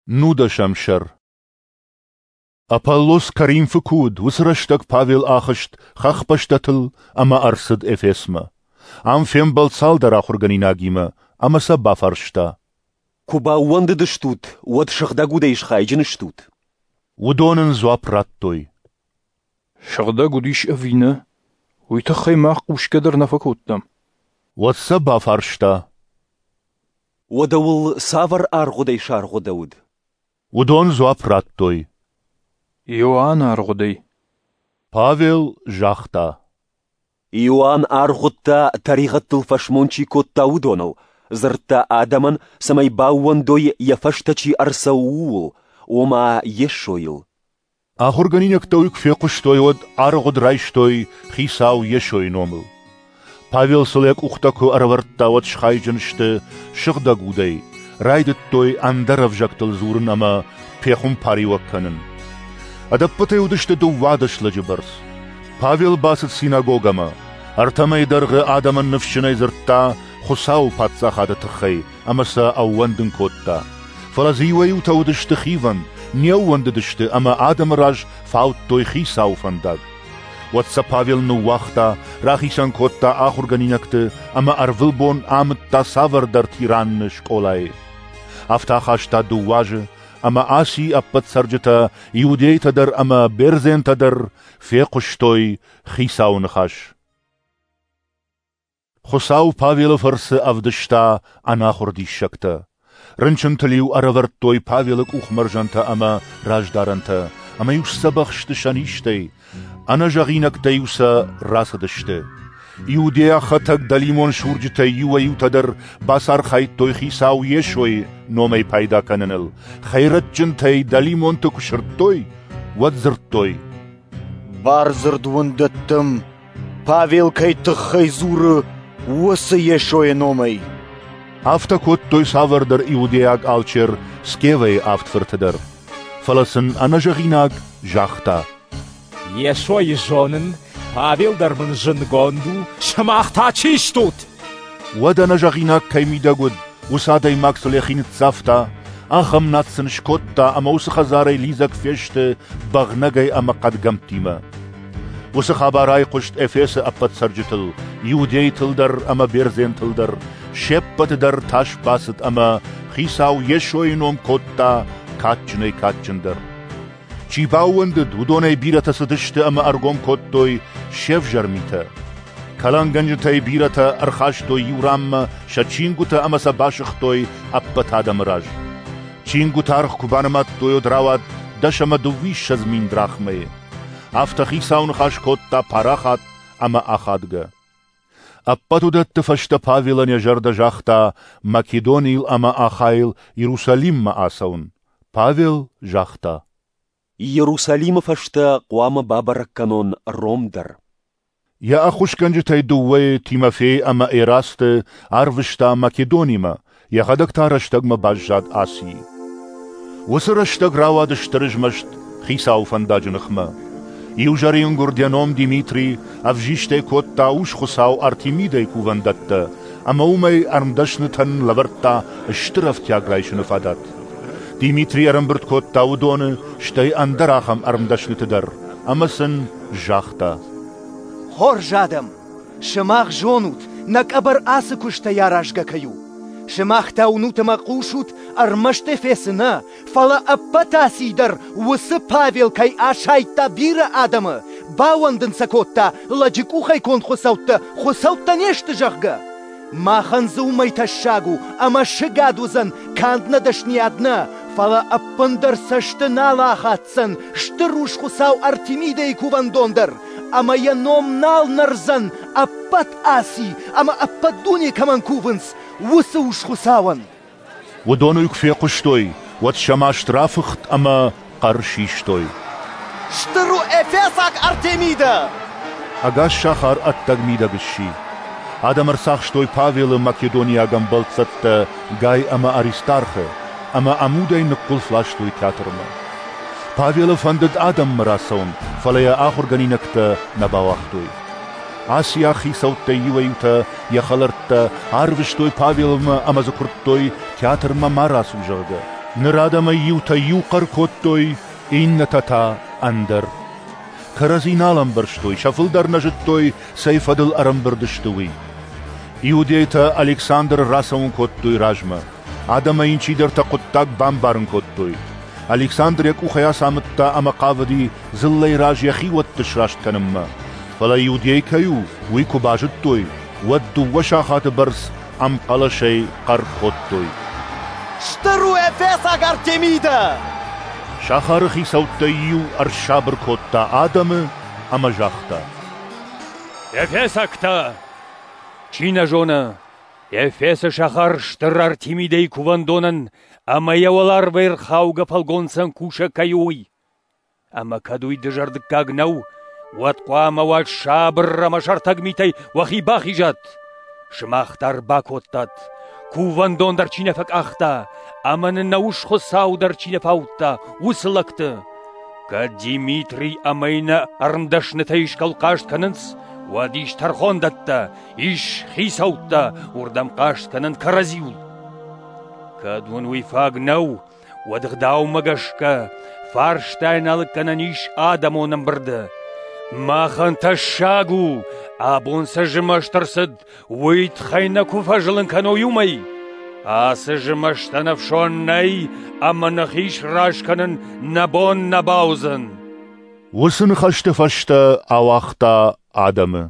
Нудӕсӕм сӕр. Аполлос Коринфы куы уыд, уыцы рӕстӕг Павел ахызт хӕхбӕстӕтыл ӕмӕ ӕрцыд Эфесмӕ. Ам фембӕлд цалдӕр ахуыргӕнинагимӕ ӕмӕ сӕ бафарста: Куы баууӕндыдыстут, уӕд Сыгъдӕг Удӕй схайджын стут? Уыдон ын дзуапп радтой: Сыгъдӕг уд ис ӕви нӕ, уый тыххӕй мах хъусгӕ дӕр нӕ фӕкодтам. Уӕд сӕ бафарста: Уӕдӕ уыл цавӕр аргъуыдӕй саргъуыдӕуыд? Уыдон дзуапп радтой: Иоанны аргъуыдӕй. Павел загъта: Иоанн аргъуыдта, тӕригъӕдтыл фӕсмон чи кодта, уыдоныл, дзырдта адӕмӕн, цӕмӕй баууӕндой, йӕ фӕстӕ чи ӕрцӕуы, ууыл, ома Йесойыл. Ахуыргӕнинӕгтӕ уый куы фехъуыстой, уӕд аргъуыд райстой Хицау Йесойы номыл. Павел сыл йӕ къухтӕ куы ӕрӕвӕрдта, уӕд схайджын сты Сыгъдӕг Удӕй, райдыдтой ӕндӕр ӕвзӕгтыл дзурын ӕмӕ пехуымпариуӕг кӕнын. Ӕдӕппӕтӕй уыдысты 12 лӕджы бӕрц. Павел бацыд синагогӕмӕ. Ӕртӕ мӕйы дӕргъы адӕмӕн ныфсджынӕй дзырдта Хуыцауы паддзахады тыххӕй ӕмӕ сӕ ӕууӕндын кодта. Фӕлӕ дзы иуӕй-иутӕ уыдысты хивӕнд, не ууӕндыдысты ӕмӕ адӕмы раз фаудтой Хицауы фӕндаг. Уӕд сӕ Павел ныууагъта, рахицӕн кодта ахуыргӕнинӕгты ӕмӕ ӕрвылбон амыдта цавӕрдӕр тиранны скъолайы. Афтӕ ахаста 2 азы, ӕмӕ Асийы ӕппӕт цӕрджытӕ, иудейтӕ дӕр ӕмӕ бердзентӕ дӕр, фехъуыстой Хицауы ныхас. Хуыцау Павелы фӕрцы ӕвдыста ӕнахуыр диссӕгтӕ. Рынчынтыл-иу ӕрӕвӕрдтой Павелы къухмӕрзӕнтӕ ӕмӕ раздарӕнтӕ, ӕмӕ-иу сдзӕбӕх сты сӕ низтӕй, ӕнӕзӕгъинӕгтӕ-иу сӕ рацыдысты. Иудейаг хӕтӕг дӕлимон сурджытӕй иуӕй-иутӕ дӕр бацархайдтой Хицау Йесойы номӕй пайда кӕныныл, хӕйрӕджджынтӕй дӕлимонты куы сырдтой, уӕд дзырдтой: Бардзырд уын дӕттӕм, Павел кӕй тыххӕй дзуры, уыцы Йесойы номӕй. Афтӕ кодтой цавӕрдӕр иудейаг алчер Скевӕйы 7 фырты дӕр. Фӕлӕ сын ӕнӕзӕгъинаг загъта: Йесойы зонын, Павел дӕр мын зындгонд у, сымах та чи стут? Уӕд ӕнӕзӕгъинаг кӕй мидӕг уыд, уыцы адӕймаг сыл йӕхи ныццавта, ахӕм над сын скодта ӕмӕ уыцы хӕдзарӕй лидзӕг фесты бӕгънӕгӕй ӕмӕ хъӕдгӕмттимӕ. Уыцы хабар айхъуыст Эфесы ӕппӕт цӕрджытыл, иудейтыл дӕр ӕмӕ бердзентыл дӕр, се ппӕты дӕр тас бацыд ӕмӕ Хицау Йесойы ном кодта кадджынӕй-кадджындӕр. Чи баууӕндыд, уыдонӕй бирӕтӕ цыдысты ӕмӕ ӕргом кодтой се взӕр митӕ. Кӕлӕнгӕнджытӕй бирӕтӕ ӕрхастой иу ранмӕ сӕ чингуытӕ ӕмӕ сӕ басыгътой ӕппӕт адӕмы раз. Чингуыты аргъ куы банымадтой, уӕд рауад 20 000 драхмӕйы. Афтӕ Хицау ныхас кодта парахат ӕмӕ ахадгӕ. Ӕппӕт уыдӕтты фӕстӕ Павелӕн йӕ зӕрдӕ загъта Македонийыл ӕмӕ Ахайыл Иерусалиммӕ ацӕуын. Павел загъта: Иерусалимы фӕстӕ хъуамӕ бабӕрӕг кӕнон Ром дӕр. Йӕ ӕххуысгӕнджытӕй 2 Тимофей ӕмӕ Эрасты арвыста Македонимӕ, йӕхӕдӕг та рӕстӕгмӕ баззад Асийы. Уыцы рӕстӕг рауад стыр змӕст Хицауы фӕндаджы ныхмӕ. Иу зӕрингуырд йӕ ном Димитрий ӕвзистӕй кодта ус-хуыцау Артемидӕйы кувӕндӕттӕ ӕмӕ уымӕй ӕрмдӕснытӕн лӕвӕрдта стыр ӕфтиаг райсыны фадат. Димитрий ӕрӕмбырд кодта уыдоны, стӕй ӕндӕр ахӕм ӕрмдӕсныты дӕр, ӕмӕ сын загъта: Хорз адӕм, сымах зонут, нӕ къӕбӕр ацы куыстӕй аразгӕ кӕй у. Сымах та уынут ӕмӕ хъусут, ӕрмӕст Эфесы нӕ, фӕлӕ ӕппӕт Асийы дӕр уыцы Павел кӕй асайдта бирӕ адӕмы, баууӕндын сӕ кодта, лӕджы къухӕй конд хуыцӕуттӕ хуыцӕуттӕ не сты, зӕгъгӕ. Махӕн дзы уымӕй тӕссаг у, ӕмӕ сыгад уыдзӕн канд нӕ дӕсныйад нӕ, фӕлӕ ӕппындӕр цӕсты нал ахаддзӕн стыр ус-хуыцау Артемидӕйы кувӕндон дӕр, ӕмӕ йӕ ном нал нӕрдзӕн ӕппӕт Аси ӕмӕ ӕппӕт дуне кӕмӕн кувынц, уыцы ус-хуыцауӕн. Уыдон уый куы фехъуыстой, уӕд сӕ маст рафыхт ӕмӕ хъӕр систой: Стыр у Эфесаг Артемидӕ! Ӕгас сахар ӕддӕг-мидӕг сси. Адӕм ӕрцахстой Павелы македониаг ӕмбӕлццӕттӕ Гай ӕмӕ Аристархы ӕмӕ ӕмудӕй ныггуылф ластой театрмӕ. Павелы фӕндыд адӕммӕ рацӕуын, фӕлӕ йӕ ахуыргӕнинӕгтӕ нӕ бауагътой. Асиаг хицӕуттӕй иуӕй-иутӕ йӕ хӕлӕрттӕ арвыстой Павелмӕ ӕмӕ дзы куырдтой театрмӕ ма рацу, зӕгъгӕ. Ныр адӕмӕй иутӕ иу хъӕр кодтой, иннӕтӕ та ӕндӕр. Кӕрӕдзи нал ӕмбӕрстой, сӕ фылдӕр нӕ зыдтой, цӕй фӕдыл ӕрӕмбырд сты, уый. Иудейтӕ Александры рацӕуын кодтой размӕ. Адӕмӕй йын чидӕртӕ хъуыддаг бамбарын кодтой. Александр йӕ къухӕй ацамыдта ӕмӕ хъавыди дзыллӕйы раз йӕ хиуӕтты сраст кӕнынмӕ. Фӕлӕ иудей кӕй у, уый куы базыдтой, уӕд 2 сахаты бӕрц ӕмхъӕлӕсӕй хъӕр кодтой: «Стыр у Эфесаг Артемидӕ!» Сахары хицӕуттӕй иу ӕрсабыр кодта адӕмы ӕмӕ загъта: «Эфесӕгтӕ! Чи нӕ зоны, Эфесы сахар стыр Артемидӕйы кувӕндонӕн ӕмӕ йӕ уӕларвӕй ӕрхаугӕ фӕлгонцӕн кусӕг кӕй у, уый. Ӕмӕ кӕд уый дызӕрдыггаг нӕу, уӕд хъуамӕ уат сабыр ӕмӕ сӕртӕг митӕй уӕхи бахизат. Сымах дӕр бакодтат, кувӕндон дӕр чи нӕ фӕкъахта, ӕмӕ нын нӕ ус-хуыцау дӕр чи нӕ фаудта, уыцы лӕгты. Кӕд Димитрий ӕмӕ иннӕ ӕрмдӕснытӕ искӕуыл хъаст кӕнынц, уӕд ис тӕрхондӕттӕ, ис хицӕуттӕ, уырдӕм хъаст кӕнын кӕрӕдзиуыл. Кӕд уын уый фаг нӕу, уӕд ӕгъдаумӕ гӕсгӕ фарстайӕн алыг кӕнӕн ис адӕмон ӕмбырды. Махӕн тӕссаг у, абон цы змӕст ӕрцыд, уый тыххӕй нӕ куы фӕзылын кӕной уымӕй. Ацы змӕстӕн ӕфсон нӕй ӕмӕ нӕхи сраст кӕнын нӕ бон нӕ бауыдзӕн». Уыцы ныхӕсты фӕстӕ ауагъта адӕмы.